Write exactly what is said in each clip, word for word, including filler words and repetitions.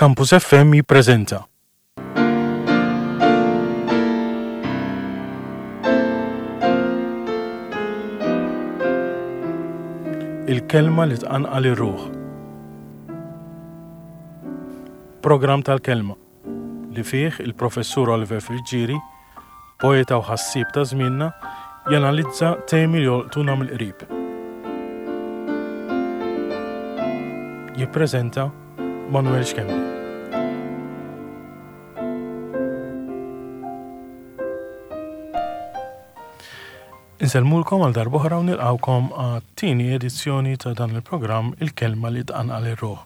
Campus F M jippreżenta Il-kelma li tqanqal ir-ruħ. Programm tal-kelma li fih il-professur Oliver Friggieri, poeta u ħassieb ta' żmienna, janalizza temi li jolqtuna mill-qrib. Jippreżenta Manuel Schembri. Insellmulkom għal darb'oħra u nilqawkom għat-tieni edizzjoni ta' dan il-programm Il-Kelma li tqanqal ir-ruħ.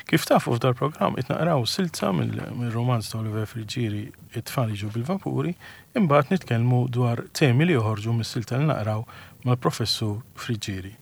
Kif tafu, f'dal programm qed naqraw silta mill-romanz ta' Oliver Friggieri, It-tfal jiġu bil-vapuri, imbagħad nitkellmu dwar temi li joħorġu mis-silta li naqraw mal-professur Friggieri.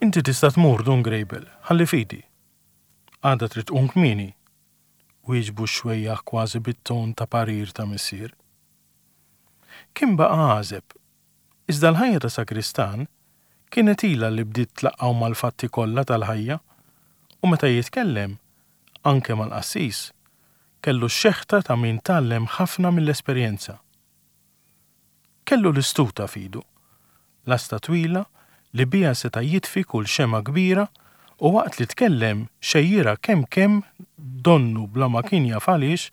Inti tista' tmur, Dun Grejbel, ħalli f'idi. Għada trid tqum kmieni. Wieġbu xwejjaħ kważi bit-ton ta' parir ta' missier. Kien baqa' għażeb. Iżda l-ħajja ta' sakristan kienet ilha li bdiet tlaqqgħu mal-fatti kollha tal-ħajja u meta jitkellem, anke mal-qassis, kellu x-xeħta ta' min tgħallem ħafna mill-esperjenza. Kellu l-istuta f'idu, lasta twila li biha seta' jitfi kull xema kbira, u waqt li tkellem xejjira kemm kemm donnu bla ma kien jaf għaliex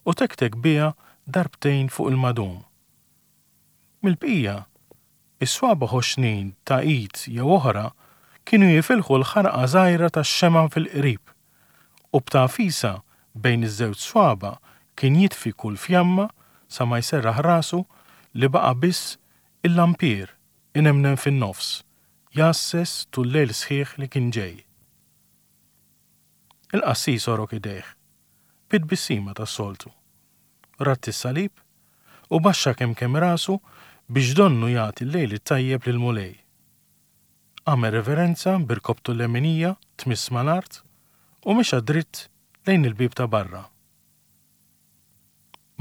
u tektek biha darbtejn fuq il-madum. Mill-bqija, is-swaba ħoxnin ta' id jew oħra kienu jifilħu l-ħarqa żgħira tax-xema fil-qrib u b'tagħfisa bejn iż-żewġ swaba kien jitfi kull fjamma sa ma jserraħ rasu li baqa' biss il-lampier inemnem fin-nofs, jgħasses tul lejl sħiħ li kien ġej. Il-qassis għorok idejh, bit-tbissima tas-soltu. Radd is-salib u baxxa kemm kemm rasu biex donnu jagħti l-lejl it-tajjeb lil Mulej. Għamel reverenza b'irkobtu l-leminija tmiss mal-art u mexa dritt lejn il-bib ta' barra.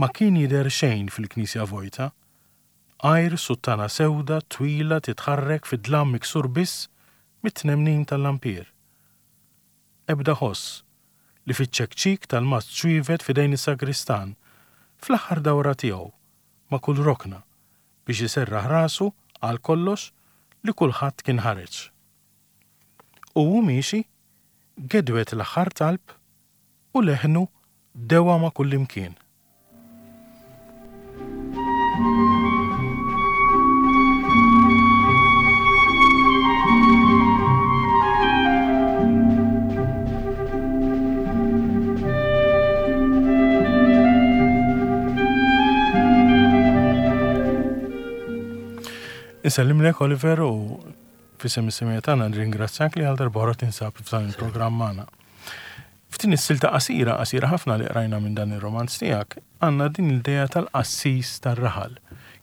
Ma kien jidher xejn fil-knisja vojta, għajr suttana sewda twila titħarrek fid-dlam miksur biss mit-tnemnim tal-lampier. Ebda ħoss li fiċ-ċekċik tal-mazz ċwievet f'idejn is-sagristan fl-aħħar dawra tiegħu ma' kull rokna biex iserraħ rasu għal kollox li kulħadd kien ħareġ. U hu miexi gedwet l-aħħar talb u leħnu dewa ma' kullimkien. Insellimlek, Oliver, u f'isem is-semmiegħa tagħna nirringrazzjak li għal darb'oħra tinsab f'dan il-programm magħna. F'din is-silta qasira, qasira ħafna li qrajna minn dan ir-romanz tiegħek, għandna din l-idea tal-qassis tar-raħal.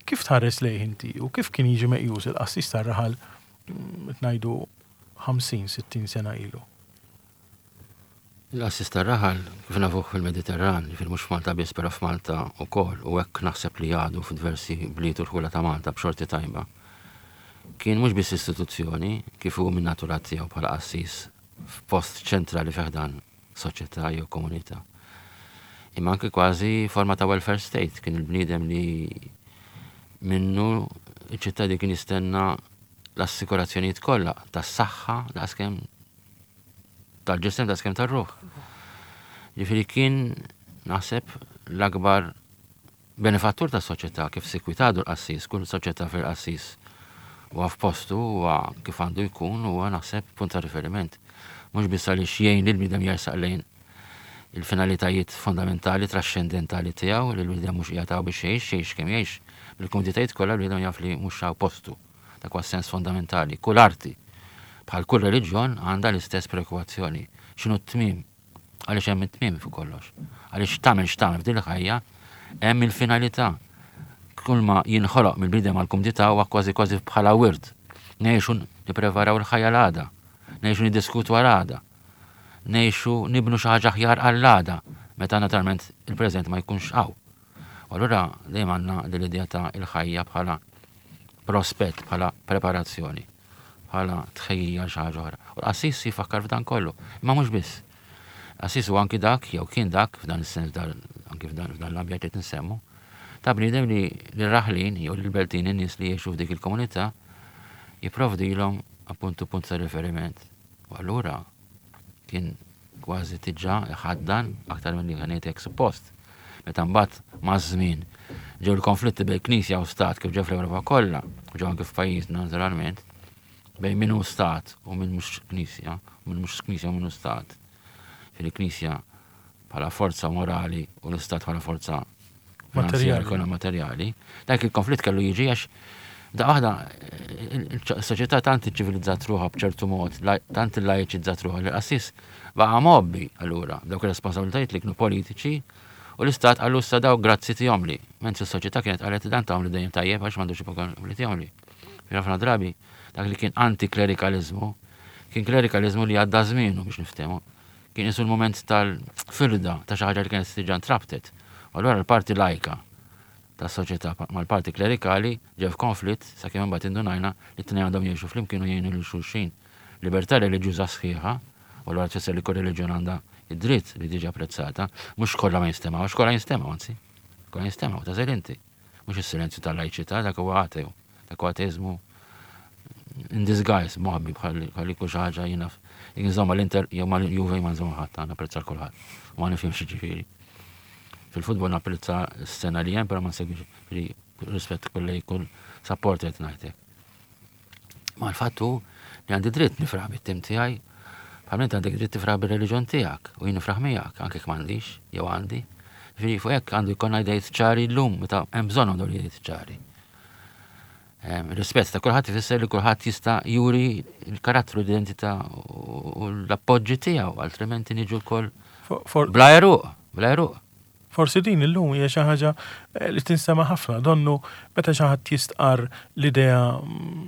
Kif tħares lejh inti u kif kien jiġi meqjus il-qassis tar-raħal, mm, ngħidu ħamsin sittin sena ilu? Il-qassis tar-raħal, kif nafuh fil-Mediterran, fil mhux f'Malta biss, però f'Malta wkoll, u hekk naħseb li għadu f'diversi bliet u rħula ta' Malta b'xorti tajba. Kien mhux biss istituzzjoni, kif hu minn natura tiegħu bħala qassis f'post ċentrali fi ħdan soċjetà jew komunità. Imma anke kważi forma ta' welfare state, kien il-bniedem li minnu iċ-ċittadin kien jistenna l-assikurazzjonijiet kollha tas-saħħa, daqskemm tal-ġisem, daqskemm tar-ruħ. Ġifieri kien, naħseb, l-akbar benefattur tas-soċjetà, kif sikwit għadu l-qassis, kull soċjetà fil-qassis huwa f'postu, huwa kif għandu jkun, huwa, naħseb, punt ta' riferiment. Mhux biss għaliex jgħin lil bniedem jersaq lejn il-finalitajiet fondamentali, trascendentali tiegħu, li l-bniedem mhux qiegħed hawn biex jgħix, jgħix kemm jgħix. Bil-kumditajiet kollha, l-bniedem jaf li mhux hawn postu. Dak huwa sens fondamentali. Kull arti, bħal kull reliġjon, għandha l-istess preokkupazzjoni. X'inhu t-tmiem? Għaliex hemm it-tmiem fuq kollox. Għaliex tagħmel x'tagħmel f'din il-ħajja hemm il-finalità. Kull ma jinħoloq mill-bniedem għal kumdità huwa kważi kważi bħala wirt. Ngħixu nippreparaw il-ħajja l-għada. Ngħixu niddiskutu għal għada. ngħixu nibnu xi ħaġa aħjar għall-għada, meta naturalment il-preżent ma jkunx hawn. U allura dejjem għandna din l-idea ta' il-ħajja bħala prospett, bħala preparazzjoni, bħala tħejjija xi ħaġa oħra. U l-qassis jifakkar f'dan kollu, imma mhux biss. Qassis huwa anki dak, jew kien dak, f'dan is-sens, anki f'dan l-ambjent li nsemmu, ta' bniedem li l-raħlin jew l-beltin, in-nies li jgħixu f'dik il-komunità, jipprovdilhom appuntu punt ta' riferiment. U allura kien kważi tiġà ħaddan aktar minn li kien hekk suppost. Meta mbagħad maż-żmien ġew il-konflitti bejn Knisja u Stat kif ġew fl-Ewropa kollha, u ġew anke f'pajjiżna naturalment, bejn min hu Stat u min mhux Knisja, u min mhux Knisja u min hu Stat. Fil-Knisja bħala forza morali u l-Istat bħala forza materjali. Materjali. Dak il-konflitt kellu jiġi għax da waħda il-soċjetà tant iċċivilizzat ruħha b'ċertu mod, tant illajċizzat ruħha li l-qassis baqa' mgħobbi allura dawk ir-responsabilitajiet li kienu politiċi u l-istat qallu issa daw grazzi tihomli. Mentri s-soċjetà kienet qalet dan tagħmlu dejjem tajjeb għax m'għandux li tihomli. Ħafna drabi dak li kien antiklerikalizmu kien klerikalizmu li għadda żmienu biex niftehmu. Kien isu l-moment tal-firda ta' xi ħaġa li kienet diġà ntrabtet. U allura l-parti lajka tas soċjetà mal-parti klerikali ġew f'konflitt sakemm imbagħad indunajna li t-tnejn għandhom jgħixu flimkien u jgħinu lil xulxin. Libertà reliġjuża sħiħa, u allura tfisser li kull reliġjon għandha id-dritt li tiġi apprezzata, mhux kollha ma jinstemgħu, għax kollha jinstemgħu anzi. Kollha jinstemgħu, ta' inti. Mhux is-silenzju tal-lajċità, dak huwa ateu, dak huwa ateizmu in disguise, moħbi bħal kull xi ħaġa jiena nżomma l-Inter jew ma Juve ma nżomma ħadd, napprezza kulħadd. Ma nifhimx ġifieri. Fil-futbol napprezza s-sena li hemm, però ma nsegwix rispett kull kull support qed ngħidlek. Ma l-fattu li għandi dritt nifraħ bit-tim tiegħi, bħal għandek dritt tifraħ bir-reliġjon tiegħek u jien nifraħ miegħek anke jekk m'għandix jew għandi. Ġifieri fuq hekk għandu jkollna idejt ċari llum meta hemm bżonn għandu idejt ċari. Rispett ta' kulħadd ifisser li kulħadd jista' juri l-karattru, l-identità u l-appoġġi tiegħu, altrimenti niġu wkoll bla eruq, bla eruq. Forsi din illum hija xi ħaġa li tinsema' ħafna, donnu meta xi ħadd jistqarr l-idea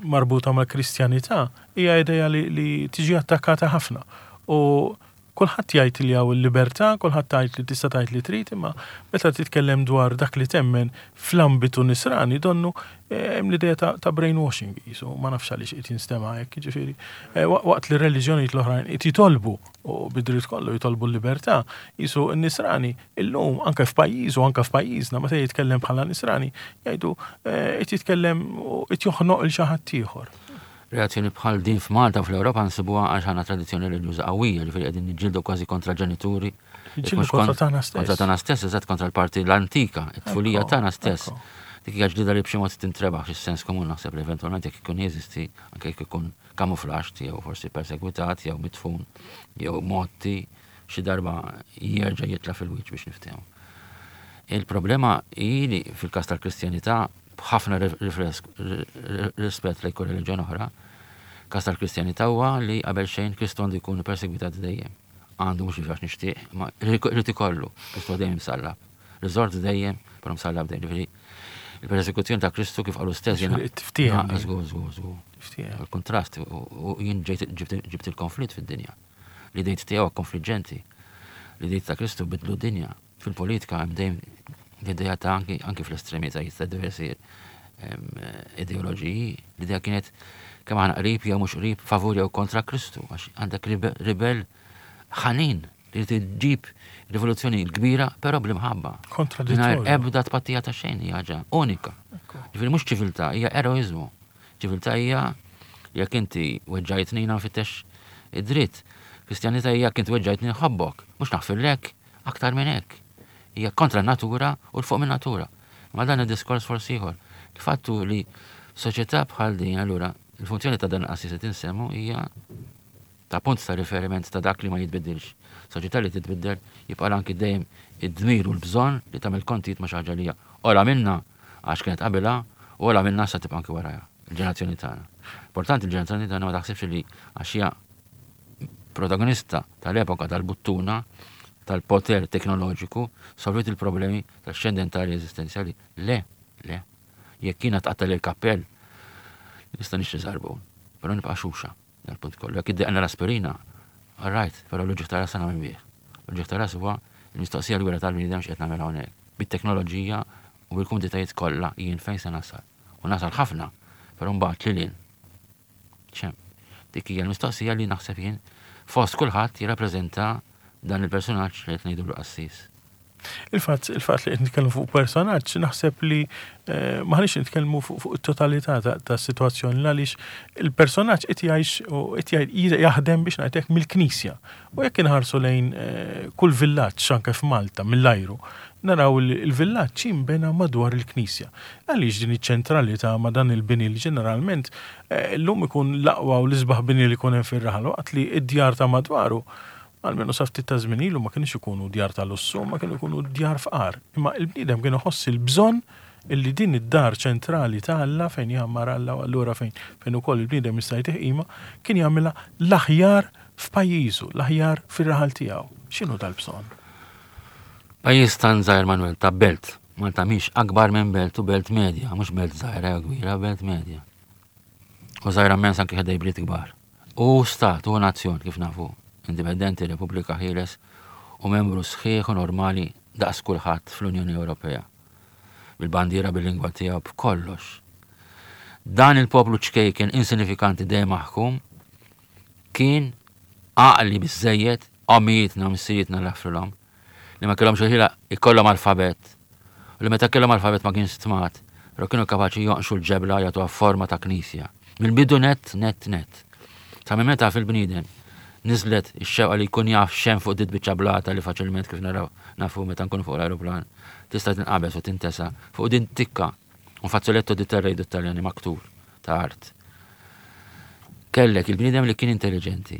marbuta mal-Kristjanità hija idea li, li tiġi attakkata ħafna. U kulħadd jgħid li hawn il-libertà, kulħadd tgħid li tista' tgħid li trid, imma meta titkellem dwar dak li temmen fl-ambitu nisrani donnu hemm l-idea ta', ta' brainwashing qisu, ma nafx għaliex qed jinstema' hekk, jiġifieri. Waqt li r-reliġjonijiet l-oħrajn qed jitolbu u bid-dritt kollu jitolbu l-libertà, qisu n-nisrani illum anke f'pajjiż u anke f'pajjiżna meta jitkellem bħala nisrani jgħidu qed jitkellem u qed joħnoq il xi ħadd ieħor. Reazzjoni bħal din f'Malta u fl-Ewropa nsibuha għax għandna tradizzjoni reliġjuża qawwija, ġifieri qegħdin niġġieldu kważi kontra ġenituri. Niġġieldu kontra tagħna stess. Kontra tagħna stess, eżatt kontra l-parti l-antika, it-tfulija tagħna stess. Dik hija ġdida li b'xi mod tintrebaħ fis-sens komun naħseb li eventwalment jekk ikun jeżisti, anke jekk ikun kamuflaġġ jew forsi persegwitat jew mitfun jew motti xi darba jerġa' jitla' fil-wiċċ biex niftehmu. Il-problema hi li fil-każ tal-Kristjanità b'ħafna rispett lejn kull reliġjon oħra, każ tal-Kristjanità huwa li qabel xejn Kristu għandu jkun persegwitat dejjem. Għandu mhux għax nixtieq, ma rrid ikollu, Kristu dejjem msallab. Riżort dejjem, però msallab dejjem. Ġifieri il-persekuzzjoni ta' Kristu kif qalu stess jiena. Tiftiehem. Żgur, żgur, żgur. Il-kontrast u jien ġibt il-konflitt fid-dinja. L-idejt tiegħu konfliġġenti. L-idejt ta' Kristu bidlu d-dinja. Fil-politika hemm dejjem l-idea ta' anki, anki fl-estremitajiet ta' diversi ideoloġiji, l-idea kienet kemm aħna qrib jew mhux qrib, favur jew kontra Kristu, għax għandek ribel ħanin li tġib rivoluzzjoni l-kbira, però bl-imħabba. Kontradittorju. Ebda tpattija ta' xejn, hija ħaġa unika. Ġifieri mhux ċiviltà, hija eroiżmu. Ċiviltà hija jekk inti weġġajtni nfittex id-dritt. Kristjanità hija jekk inti weġġajtni nħobbok, mhux naħfirlek aktar minn hekk. Hija kontra natura u l fuq minn natura. Ma dan id-diskors forsi ieħor. Il-fattu li soċjetà bħal din allura il-funzjoni ta' dan qassis qed insemmu hija ta' punt ta' riferiment ta' dak li ma jitbiddilx. Soċjetà li titbiddel jibqa' anki dejjem id-dmir u l-bżonn li tagħmel kontijiet ma' xi ħaġa li hija ola minna għax kienet qabilha u ola minna sa tibqa' anki warajha, il-ġenerazzjoni tagħna. Importanti il-ġenerazzjoni tagħna ma taħsibx li għax hija protagonista tal-epoka tal-buttuna tal-poter teknoloġiku solvit il-problemi trascendentali eżistenzjali. Le, le. Jekk jiena tqatta' l-kappell, nista' nixtri żarbun, però nibqa' xuxa dal-punt kollu. Jekk iddeqna l-aspirina, All right, però l-uġigħ ta' ras nagħmel bih. L-uġigħ ta' ras huwa l-mistoqsija l-gwera tal-bniedem x'qed nagħmel hawnhekk. Bit-teknoloġija u bil-kumditajiet kollha jien fejn se nasal. U nasal ħafna, però mbagħad lil hinn. ċem. Dik hija l-mistoqsija li naħseb jien fost kulħadd jirrappreżenta dan il-personaġġ li qed ngħidu l-qassis. Il-fatt il-fatt li qed nitkellmu fuq personaġġ naħseb li eh, maħniex nitkellmu fuq fuq it-totalità ta' ta' situazzjoni għaliex il-personaġġ qed jgħix u qed jgħid- jaħdem biex ngħidlek mill-Knisja. U jekk inħarsu lejn eh, kull villaġġ anke f'Malta mill-ajru, naraw li il-villaġġ jinbena madwar il-Knisja. Għaliex din iċ-ċentralità ma' dan il-bini li ġeneralment eh, llum ikun l-aqwa u l-isbaħ bini li jkun hemm fir-raħal waqt li id-djar ta' madwaru almenu sa ftit ta' żmien ilu ma kienx ikunu djar ta' lussu, ma kienu ikunu djar fqar. Imma il-bniedem kien iħoss il-bżonn illi din id-dar ċentrali ta' Alla fejn jgħammar Alla u allura fejn fejn ukoll il-bniedem jista' jtih qima, kien jagħmilha l-aħjar f'pajjiżu, l-aħjar fir-raħal tiegħu. X'inhu dal-bżonn? Pajjiż tan żgħir Manuel ta' belt. Malta mhix akbar minn belt u belt medja, mhux belt żgħira jew kbira, belt medja. U żgħira immens anke ħdej bliet kbar. U stat u nazzjon kif nafu, indipendenti, Repubblika Ħieles u membru sħiħ u normali daqs kulħadd fl-Unjoni Ewropea. Bil-bandiera bil-lingwa tiegħu b'kollox. Dan il-poplu ċkejken insinifikanti dejjem maħkum kien għaqli biżejjed ommijietna u missirietna l li ma kellhomx il-ħila ikollhom alfabet. U li meta kellhom alfabet ma kienx stmat, però kienu kapaċi jonqxu l-ġebla jagħtuha forma ta' knisja. Mill-bidu net, net, net. Ta' minn meta fil-bniedem niżlet ix-xewqa li jkun jaf x'hemm fuq dit biċċa blata li faċilment kif naraw nafu meta nkunu fuq l-aeroplan tista' tinqabeż u tintesa fuq din tikka un fazzoletto di terra jgħidu Taljani maktur ta' art. Kellek il-bniedem li kien intelligenti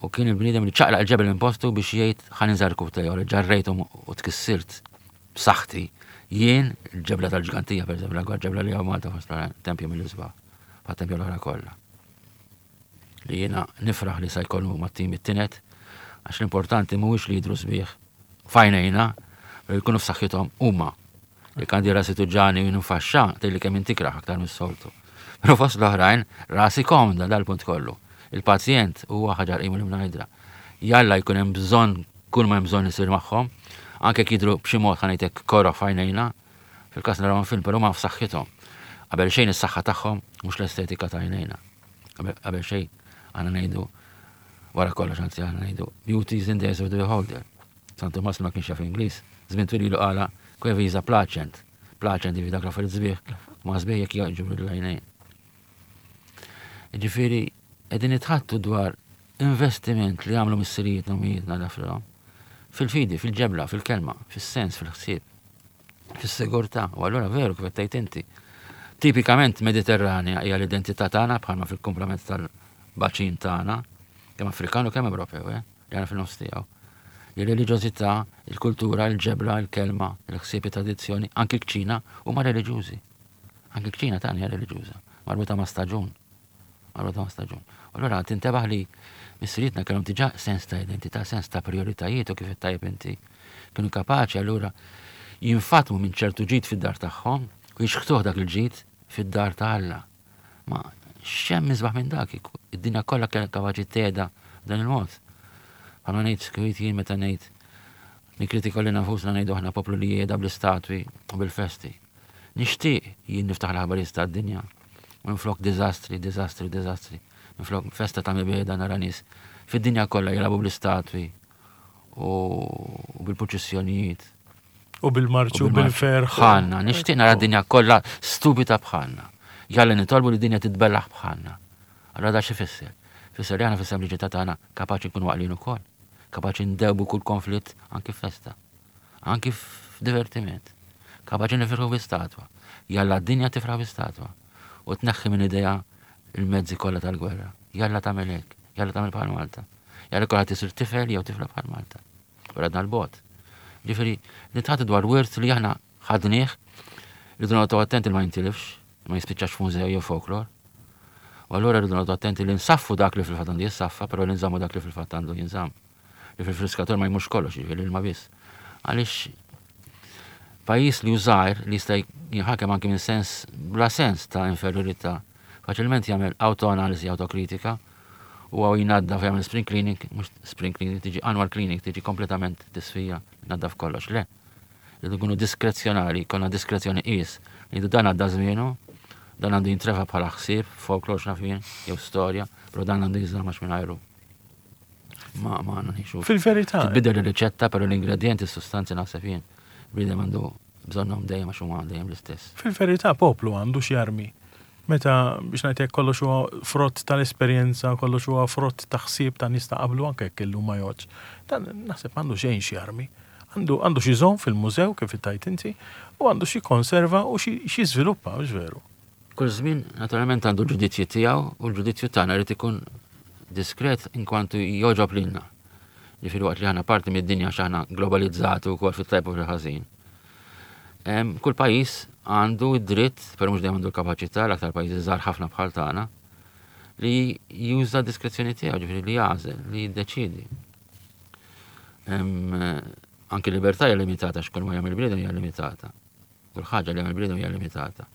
u kien il-bniedem li ċaqlaq il-ġebel minn postu biex jgħid ħa ninżarku tiegħu li ġarrejtu u tkssirt b'saħħti. Jien il-ġebla tal-ġgantija, per eżempju, l-akbar ġebla li hawn Malta fost l-tempju mill-isbaħ, tempju l-oħra kollha. Li jiena nifraħ li sa jkollu mat-tim it-tinet, għax l-importanti mhuwiex li jidru sbieħ f'għajnejna, pero jkunu f'saħħithom huma. Jekk għandi rasi tuġġagħni u nfaxxa, tgħidli kemm intikraħ aktar mis-soltu. Però fost l-oħrajn, rasi komda dal-punt kollu. Il-pazjent huwa ħaġar qimu li mnajdra. Jalla jkun hemm bżonn kull ma hemm bżonn isir magħhom, anke jekk jidhru b'xi mod ħa ngħidlek koroh f'għajnejna, fil-każ narawhom film, però ma f'saħħithom. Qabel xejn is-saħħa tagħhom mhux l-estetika ta' għajnejna. Qabel xejn għandna ngħidu wara kollox anzi għandna ngħidu beauty is in the eyes of the beholder. San Tumas ma kienx jaf Ingliż, żmien twil ilu qala quae visa placent. Placent jiġifieri dak l-affarijiet sbieħ, ma sbieħ jekk jogħġbu l-għajnejn. Ġifieri qegħdin nitħaddtu dwar investiment li għamlu missirijietna u ommijietna dafra fil-fidi, fil-ġebla, fil-kelma, fil-sens, fil-ħsieb, fil-sigurtà. U allura veru kif qed tgħid inti. Tipikament Mediterranja hija l-identità tagħna bħalma fil-komplement tal-baċin tagħna, kemm Afrikan u kemm Ewropew, eh, li għandna fil-nofs tiegħu. Il-reliġjożità, il-kultura, il-ġebla, il-kelma, il-ħsieb, tradizzjoni, anki l-kċina huma reliġjużi. Anki l-kċina tagħna hija reliġjuża, marbuta ma' staġun. Marbuta ma' staġun. U allura tintebaħ li missirietna kellhom diġà sens ta' identità, sens ta' prioritajiet u kif tajjeb inti. Kienu kapaċi allura jinfatmu minn ċertu ġid fid-dar tagħhom u jixħtuh dak il-ġid fid-dar ta' Alla. Ma x'hemm isbaħ minn dak, id-dinja kollha kienet kapaċi tgħeda dan il-mod. Bħalma ngħid skwit jien meta ngħid nikkritika lilna nfusna ngħidu aħna poplu li jgħeda bl-istatwi u bil-festi. Nixtieq jien niftaħ l-aħbarijiet tad-dinja. Minflok diżastri, diżastri, diżastri. Minflok festa ta' mibegħda nara nies fid-dinja kollha jilagħbu bl-istatwi u bil-purċissjonijiet. U bil-marċu, u bil-ferħ. Bħalna, nixtieq nara d-dinja kollha stupida bħalna. Jalla nitolbu li d-dinja titbellaħ bħalna. Allora da x'ifisser? Fisser li aħna fis-sempliċità tagħna kapaċi nkunu għaqlin ukoll. Kapaċi ndewbu kull konflitt anki f'festa. Anki f'divertiment. Kapaċi nifirħu bi statwa. Jalla d-dinja tifraħ bi statwa. U tneħħi minn idea il-mezzi kollha tal-gwerra. Jalla tagħmel hekk, jalla tagħmel bħal Malta. Jalla kollha tisir tifel jew tifla bħal Malta. U għadna l-bot. Ġifieri, nitħaddtu dwar wirt li aħna ħadnieh, rridu noqogħdu attenti li ma jintilifx, ma jispiċċax f'mużew jew folklor. U allura rridu noqogħdu attenti li nsaffu dak li fil-fatt għandu jissaffa, però li nżammu dak li fil-fatt għandu jinżamm. Li fil-friskatur ma jmurx kollox, ġifieri l-ilma biss. Għaliex pajjiż li żgħir li jista' jinħakem anki minn sens bla sens ta' inferiorità, faċilment jagħmel autoanalisi, autokritika U għaw jnaddaf jagħmel spring cleaning, mhux spring cleaning, tiġi annual cleaning, tiġi kompletament tisfija, naddaf kollox. Le, rridu nkunu diskrezzjonali, konna diskrezzjoni qis. Ngħidu dan għadda żmienu, dan għandu jintrefa bħala ħsieb, folklor x'naf jien, jew storja, però dan għandu jinżamm għax mingħajru. Ma ma ngħixu. Fil-verità. Titbidel ir-riċetta, però l-ingredienti, s-sustanzi naħseb jien. Bniedem għandu bżonnhom dejjem għax huma dejjem l-istess. Fil-verità poplu għandu x'jarmi. Meta biex ngħidlek kollox huwa frott tal-esperjenza, kollox huwa frott ta' ħsieb ta' nies ta' qablu anke jekk illum ma jgħodx. Dan naħseb għandu xejn x'jarmi. Għandu għandu xi żomm fil-mużew kif tajt inti u għandu xi konserva u xi żviluppa, mhux veru. Kull żmien naturalment għandu l-ġudizzju tiegħu u l-ġudizzju tagħna jrid ikun diskret inkwantu jogħġob lilna. Ġifieri waqt li aħna parti mid-dinja x'aħna globalizzati wkoll fit-tajb u fil-ħażin. Kull pajjiż għandu id-dritt, però mhux dejjem għandu l-kapaċità, l-aktar pajjiżi żgħar ħafna bħal tagħna, li juża diskrezzjoni tiegħu, ġifieri li jagħżel, li jiddeċiedi. Anki l-libertà hija limitata x'kull ma jagħmel bniedem hija limitata. Kull ħaġa li jagħmel bniedem hija limitata.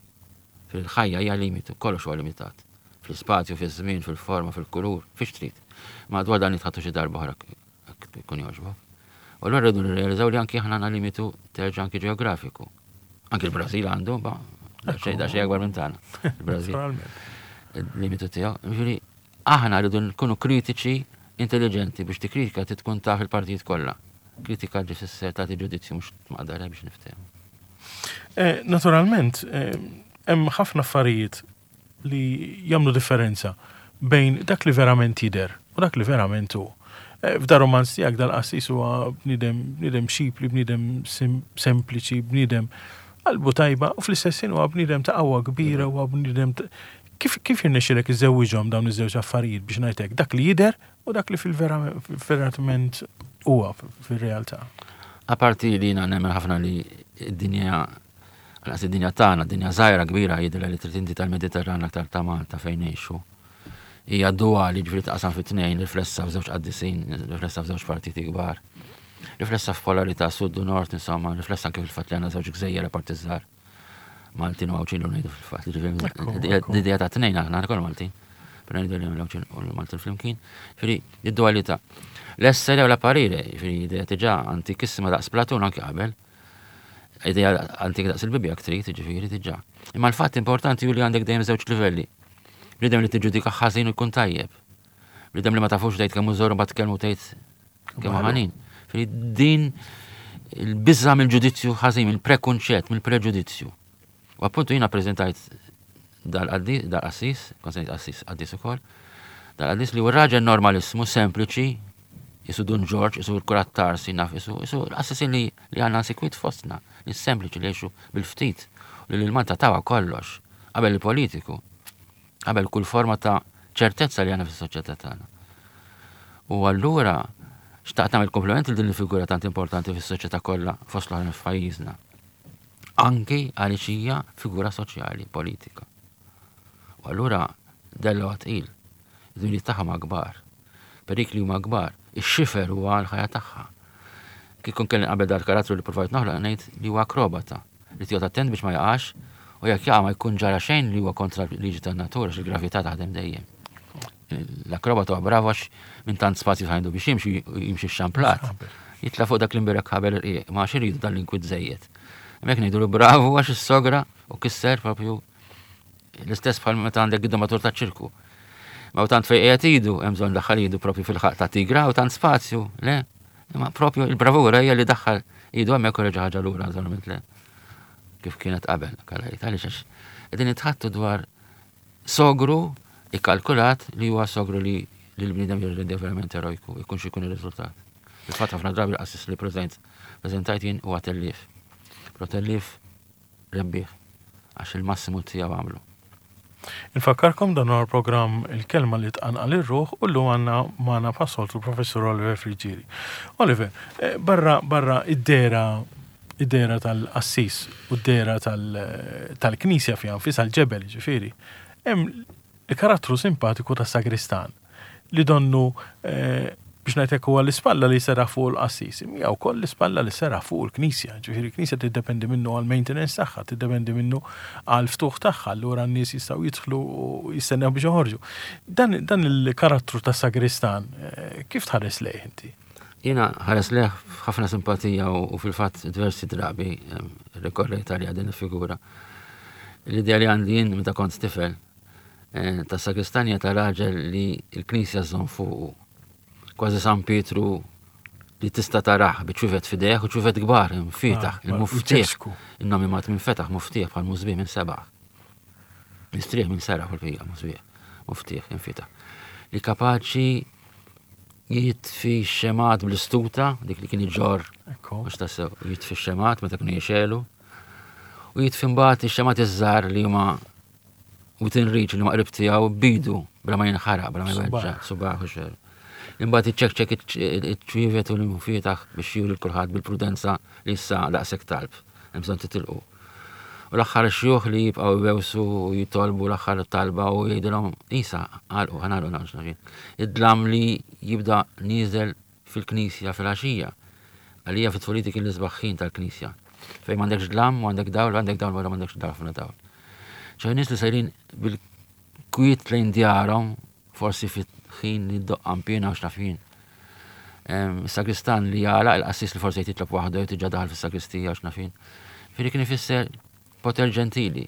Fil-ħajja hija limitu, kollox huwa limitat. Fl-ispazju, fiż-żmien, fil-forma, fil-kulur, fiex trid. Ma dwar dan nitħattu xi darba oħra jkun jogħġbok. U allura rridu nirrealizzaw li anki aħna għandna limitu terġa' anki ġeografiku. Anki l-Brażil għandu, ba, xejn da xejn akbar minn tagħna. Il-Brażil. Il-limitu tiegħu. Ġifieri aħna rridu nkunu kritiċi intelligenti biex tikkritika trid tkun taf il-partijiet kollha. Kritika ġi fisser tagħti ġudizzju mhux tmaqdar biex niftehmu. Naturalment, hemm ħafna affarijiet li jagħmlu differenza bejn dak li verament jidher u dak li verament hu. F'da romanz tiegħek dal-qassis huwa bniedem bniedem xipli, bniedem sempliċi, bniedem qalbu tajba u fl-istess ħin huwa bniedem ta' qawwa kbira, huwa bniedem kif kif jirnexxilek iżewwiġhom dawn iż-żewġ affarijiet biex ngħidlek dak li jidher u dak li fil-verament huwa fir-realtà. Aparti li jiena nemmen ħafna li d-dinja, għalqas id-dinja tagħna, dinja żgħira kbira jidher li trid inti tal-Mediterran aktar ta' Malta fejn ngħixu. Hija duali, ġifieri taqsam fi tnejn, riflessa f'żewġ qaddisin, riflessa f'żewġ partiti kbar. Riflessa f'polarità sud u nord, insomma, riflessa anke fil-fatt li għandna żewġ gżejjer apparti żgħar. Maltin u Għawdxin ngħidu fil-fatt, ġifieri l-idea ta' tnejn aħna kollha Maltin. Però ngħidu li l-Għawdxin u l-Maltin flimkien. Ġifieri id-dualità. L-essere u l-apparire, ġifieri idea diġà antikissima daqs Platun anke qabel. Idea antika daqs il-Bibbja trid, ġifieri diġà. Imma l-fatt importanti hu li għandek dejjem żewġ livelli. Bniedem li tiġġudika ħażin u jkun tajjeb. Bniedem li ma tafux tgħid kemm hu żoru mbagħad tkellmu tgħid kemm hu ħanin. Ġifieri din il-biża' mill-ġudizzju ħażin, mill-prekunċett, mill-preġudizzju. U appuntu jiena ppreżentajt dal-qassis, dal-qassis, kont se ngħid qassis, qaddis ukoll, dal-qaddis li hu raġel normalissimu, sempliċi, jisu Dun Ġorġ, jisu l-kurat Tarsi, naf, jisu, jisu l-qassisin li, li għandna sikwit fostna, li sempliċi li jgħixu bil-ftit, li l-Malta tawa kollox, qabel il-politiku, qabel kull forma ta' ċertezza li għandna fis-soċjetà tagħna. U allura xtaqt nagħmel kompliment lil din il-figura tant importanti fis-soċjetà kollha fost l-oħrajn f'pajjiżna. Anki għaliex hija figura soċjali, politika. U allura della huwa tqil, id-dmirijiet tagħha ma kbar, perikli huma kbar, ix-xifer huwa l-ħajja tagħha. Kif kelli qabel dal-karattru li provajt noħloq ngħid li huwa akrobata, li tiegħu attent biex ma jaqax u jekk jaqa' ma jkun ġara xejn li huwa kontra l-liġi tan-natura għax il-gravità taħdem dejjem. L-akrobata huwa bravo għax minn tant spazju ħajdu biex jimxi jimxi xamplat. Jitla' fuq dak l-imbirek ħabel irqiq, ma għax iridu dal-inkwit żejjed. Hemmhekk ngħidu bravo għax is-sogra u kisser propju l-istess bħal meta għandek id-domatur ta' ċirku. Ma u tant fejn qiegħed idu, hemm bżonn daħħal idu propju fil-ħaq ta' tigra u tant spazju, le. Imma propju il-bravura hija li daħħal idu hemmhekk u reġa' ħaġa lura naturalment le. Kif kienet qabel, kalla jgħid, għaliex għax qegħdin nitħattu dwar sogru ikkalkulat li huwa sogru li l-bniedem jirrendi verament erojku, jkun xi jkun ir-riżultat. Il-fatt ħafna drabi l-qassis li preżentajt jien huwa tellief. Però tellief rebbieħ għax il-massimu tiegħu għamlu. Infakkarkom dan huwa l-programm Il-Kelma li tqanqal ir-ruħ u llum għandna magħna bħas-soltu l-Professur Oliver Friggieri. Oliver, barra, barra id-dera, id-dera tal-qassis u d-dera tal-knisja fiha nfisha l-ġebel, ġifieri, hemm il-karattru simpatiku ta' sagristan li donnu Biex ngħidlek, huwa l-ispalla li serraħ fuq il-qassis, hija wkoll l-ispalla li serraħ fuq il-Knisja. Ġifieri l-Knisja tiddependi minnu għal maintenance tagħha, tiddependi minnu għal ftuħ tagħha, allura n-nies jistgħu jidħlu u jistennew biex joħorġu. Dan, dan il-karattru ta' sagristan, eh, kif tħares lejh inti? Jiena nħares lejh ħafna simpatija u u fil-fatt diversi drabi em, rikorrejt għalija din il-figura. L-idea li għandi jien meta kont tifel eh, ta' sagristanja ta' raġel li l-Knisja żżomm fuqu. Kważi San Pietru li tista' tarah biċ-ċwievet f'idejh u ċwievet kbar, imfietaħ, Ah, il-muftieħ. il-ċesku. Il-nomi mat minn fetaħ, muftieħ bħal musbieħ minn sebaħ. Mistrieħ minn seraħ u l-fija, musbieħ, muftieħ, infitaħ. Li kapaċi jitfi xemgħat bl-istuta, dik li kien iġorr, Ekku. mhux tassew, jitfi xemgħat meta kienu jixegħlu, u jitfi mbagħad ix-xemgħat iż-żgħar li huma within reach, li huma qrib tiegħu bidu, bla ma jinħaraq, bla ma jweġġa', subaħ u xejn. Imbagħad iċċekċek iċ-ċwievet u l-mufietaħ biex juri kulħadd bil-prudenza li issa daqshekk talb, hemm bżonn titilqu. U l-aħħar xjuħ li jibqgħu jbewsu u jitolbu l-aħħar talba u jgħidilhom isa għalqu ħa nagħlqu nagħlqu. Id-dlam li jibda nieżel fil-knisja fil-għaxija. Għalija fit-tfuliti kien l-isbaħ ħin tal-knisja. Fejn m'għandekx dlam u għandek dawl, għandek dawl wara m'għandekx dawl ħafna dawl. ċoè nies li sejrin bil-kwiet lejn djarhom, forsi fit-ħin li ddoqq qanpiena u x'naf jien. Sagristan li jagħlaq, il-qassis li forsi jitlob waħdu jew diġà daħal fis-sagristija u x'naf jien. Ġifieri kien ifisser poter ġentili.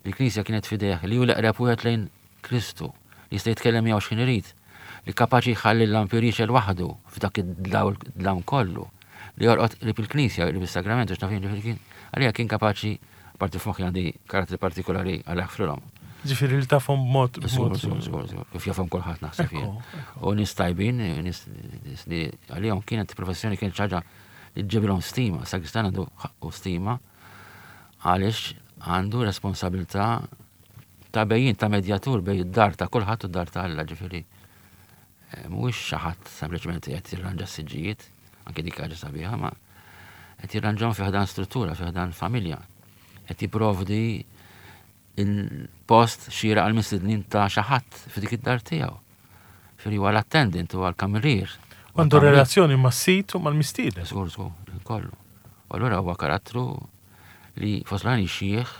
Li l-Knisja kienet fideh, li hu l-eqreb wieħed lejn Kristu, li jista' jitkellem miegħu x'ħin irid, li kapaċi jħalli l-lampier jixgħel waħdu f'dak id-dlam kollu, li jorqod qrib il-Knisja, qrib is-sagrament u x'naf jien, ġifieri kien għalija kien kapaċi, parti f'moħħi għandi karattri partikolari għal ħfrilhom. Ġifieri li tafhom b'mod. Żgur, żgur, żgur, żgur. Kif jafhom kulħadd naħseb jien. U nies tajbin, nies nies li għalihom kienet professjoni, kienet ħaġa li ġġibilhom stima. Sagristan għandu ħaqqu stima għaliex għandu responsabilità ta' bejjin, ta' medjatur bejn id-dar ta' kulħadd u d-dar ta' Alla, ġifieri. Eh, Mhuwiex xi ħadd sempliċement qed jirranġa s-siġġijiet, anke dik ħaġa sabiħa, ma qed jirranġahom fi ħdan struttura, fi ħdan familja. Qed jipprovdi il-post xieraq għal mistednin ta' xi ħadd f'dik id-dar tiegħu. Ġifieri huwa l-attendant, huwa l-kamerier. Għandu relazzjoni mas-sid u mal-mistieden. Żgur, żgur, kollu. U allura huwa karattru li fost l xieħ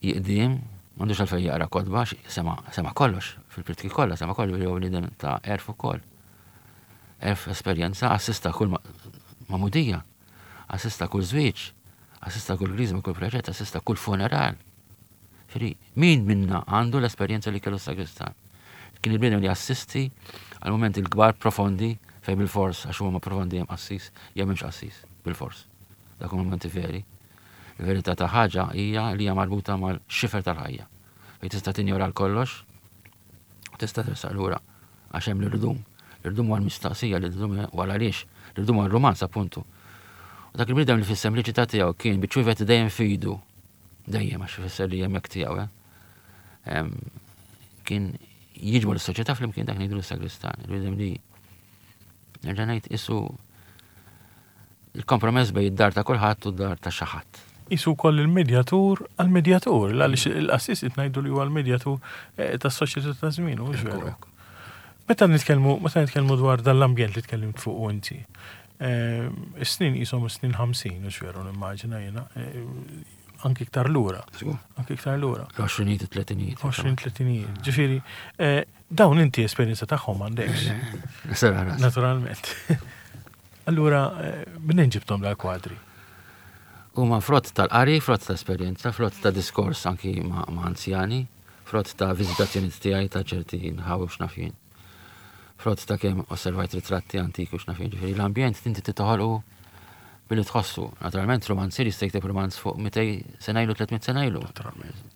jiqdim, m'għandux għalfejn jaqra kotba, sema, sema kollox, fil-pritki kollha, sema kollox, jew bniedem ta' għerf ukoll. Għerf, esperjenza, assista kull magħmudija, assista kull żwieġ, assista kull griżma, kull preġett, assista kull funeral. Ġifieri, min minna għandu l-esperjenza li kellu sagristan? Kien il-bniedem li assisti għal momenti l-kbar profondi fejn bil-fors, għax huma profondi, hemm qassis, jew m'hemmx qassis, bil-fors. Dak huma momenti veri. Il-verità ta' ħaġa hija li hija marbuta mal-xifer tal-ħajja. Fejn tista' tinjora l-kollox, u tista' tersaq lura għax hemm l-irdum. L-irdum huwa l-mistaqsija, l-irdum huwa għaliex, l-irdum huwa r-romanz appuntu. U dak il-bniedem li fis-sempliċità tiegħu kien biċ-ċwievet dejjem f'idu, dejjem, għax ifisser li hemmhekk tiegħu, eh? Em, kien jiġbor is-soċjetà flimkien, dak ngħidu l-sagristan. Il-bniedem li nerġa' ngħid isu il-kompromess bejn id-dar ta' kulħadd u d-dar ta' xi ħadd. Isu koll il-medjatur għal-medjatur, għaliex il-qassis ngħidu li huwa l-medjatur eh, tas-soċjetà ta' żmien, u veru. Meta nitkellmu meta nitkellmu dwar dan l-ambjent li tkellimt fuq inti, eh, is-snin qishom snin ħamsin, u veru nimmaġina jiena, eh, anki iktar lura. Anki iktar lura. L-għoxrinijiet, it-tletinijiet. għoxrin, tletinijiet. Ġifieri, dawn inti esperjenza tagħhom m'għandekx. Sera ras. Naturalment. Allura, minn ġibtom dal-kwadri? Huma frott tal-qari, frott ta' esperjenza, frott ta' diskors anki ma' ma' anzjani, frott ta' viżitazzjoni tiegħi ta' ċerti nħawi u x'naf jien. Frott ta' kemm osservajt ritratti antiki u x'naf jien. Ġifieri l-ambjent inti titoħolqu billi tħossu. Naturalment romanzier jista' jikteb romanz fuq mitejn sena ilu, tliet mitt sena ilu. Naturalment.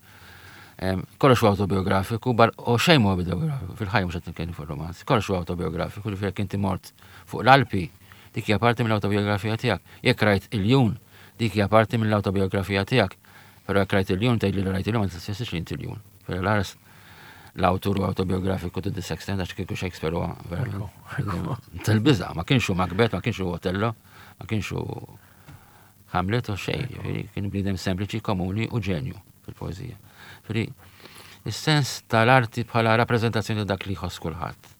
Em, Kollox huwa autobiografiku, bar u xejn huwa biografiku, fil-ħajja mhux qed nitkellem fuq romanz. Kollox huwa autobiografiku, ġifieri jekk inti mort fuq l-Alpi, dik hija parti mill-autobiografija tiegħek. Jekk rajt iljun, dik hija parti mill-autobiografija tiegħek. Però jekk rajt iljun, tgħid li rajt iljun, ma tistessix li inti iljun. Però l-aras l-awtur huwa autobiografiku to this extent, għax kieku Shakespeare huwa verament tal-biża', ma kienx hu Macbeth, ma kienx hu Otello, ma kienx hu Hamlet u xejn, ġifieri kien bniedem sempliċi, komuni u ġenju fil-poeżija. Ġifieri is-sens tal-arti bħala rappreżentazzjoni ta' dak li jħoss kulħadd.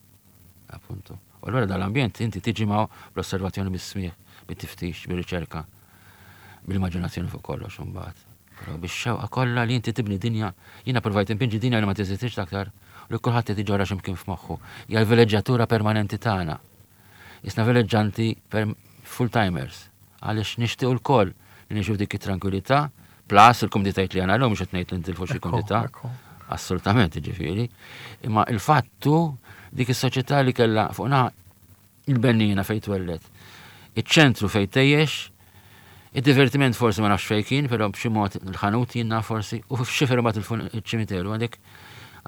Appuntu. U allura dal-ambjent inti tiġi ma' bl-osservazzjoni, bis-smigħ, bit-tiftix, bir-riċerka, bil-immaġinazzjoni fuq kollox imbagħad. Però bix-xewqa kollha li inti tibni dinja, jiena provajt inpinġi dinja li ma teżistix aktar u li kulħadd qed iġorra x'imkien f'moħħu. Hija l-vileġġjatura permanenti tagħna. Isna vileġġanti full-timers, għaliex nixtiequ lkoll li ngħixu dik it-tranquillità, plus il-kumditajiet li għandna llum, mhux qed ngħid li ntilfu xi kumdità. Assolutament, ġifieri. Imma il-fattu dik is-soċjetà li kellha fuq naħa il-bennina fejn twellet, iċ-ċentru fejn tgħix, id-divertiment forsi ma nafx fejn kien, però b'xi mod il-ħanut jiena forsi, u f'xifer imbagħad il-ċimiteru, għandek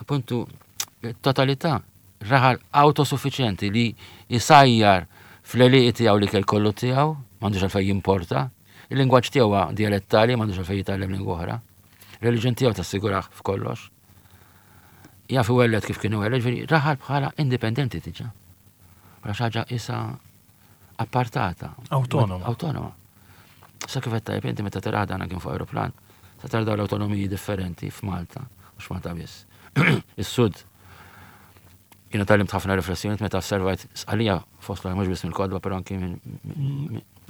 appuntu totalità, raħal autosuffiċjenti li jisajjar fl-għelieqi tiegħu li kell kollu tiegħu, m'għandux għalfejn jimporta, il-lingwaġġ tiegħu huwa dialettali, m'għandux għalfejn jitgħallem lingwa oħra. Reliġjon tiegħu tassigurah f'kollox. Jaf iwelled kif kien iwelled, ġifieri raħal bħala indipendenti diġà. Bħala xi ħaġa isa appartata. Autonoma. Autonoma. Sa kif qed tajb inti meta tara dan kien fuq aeroplan, sa tara dawn l-awtonomiji differenti f'Malta, mhux Malta biss. Is-Sud jiena tgħallimt ħafna riflessjonijiet meta osservajt Sqallija fost l mhux biss mill-kotba, però anki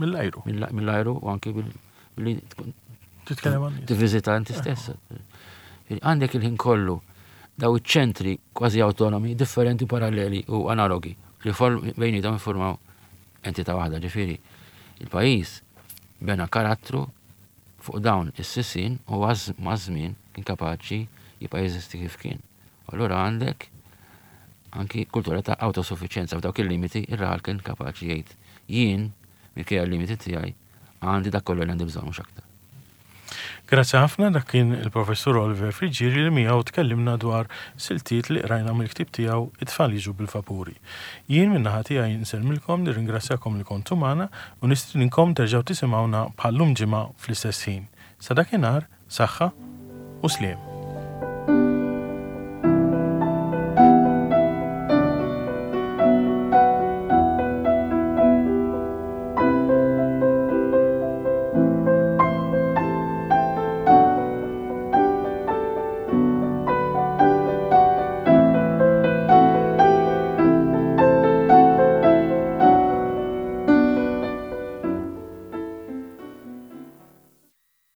mill-ajru. Mill-ajru u anki billi titkellem għan tivviżita inti stess. Għandek il-ħin kollu daw iċ-ċentri kważi autonomi, differenti, paralleli u analogi li bejnietom jiffurmaw entità waħda, ġifieri. Il-pajjiż bena karattru fuq dawn is-sissin u maż-żmien kien kapaċi jibqa' jeżisti kif kien. Allura għandek anki kultura ta' autosuffiċjenza f'dawk il-limiti, ir-raħal kien kapaċi jgħid: jien minkejja l-limiti tiegħi għandi dak kollu li għandi bżonn, mhux aktar. Grazzi ħafna, dak kien il-Professur Oliver Friggieri li miegħu tkellimna dwar siltiet li qrajna mill-ktieb tiegħu It-tfal jiġu bil-vapuri. Jien min-naħa tiegħi nsellmilkom, nirringrazzjakom li kontu magħna u nistedinkom terġgħu tisimgħuna bħallum ġimgħa fl-istess ħin. Sa dakinhar, saħħa u sliem.